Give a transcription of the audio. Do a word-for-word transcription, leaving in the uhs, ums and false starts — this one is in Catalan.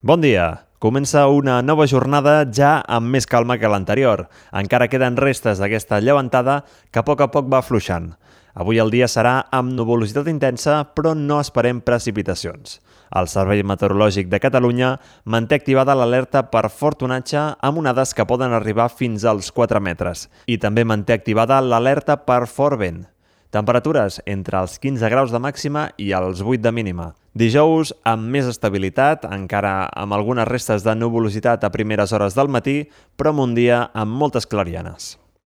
Bon dia! Comença una nova jornada ja amb més calma que l'anterior. Encara queden restes d'aquesta llevantada que a poc a poc va afluixant. Avui el dia serà amb nuvolositat intensa, però no esperem precipitacions. El Servei Meteorològic de Catalunya manté activada l'alerta per fort onatge amb onades que poden arribar fins als quatre metres. I també manté activada l'alerta per fort vent. Temperatures entre els quinze graus de màxima i els vuit de mínima. Dijous amb més estabilitat, encara amb algunes restes de nuvolositat a primeres hores del matí, però amb un dia amb moltes clarianes.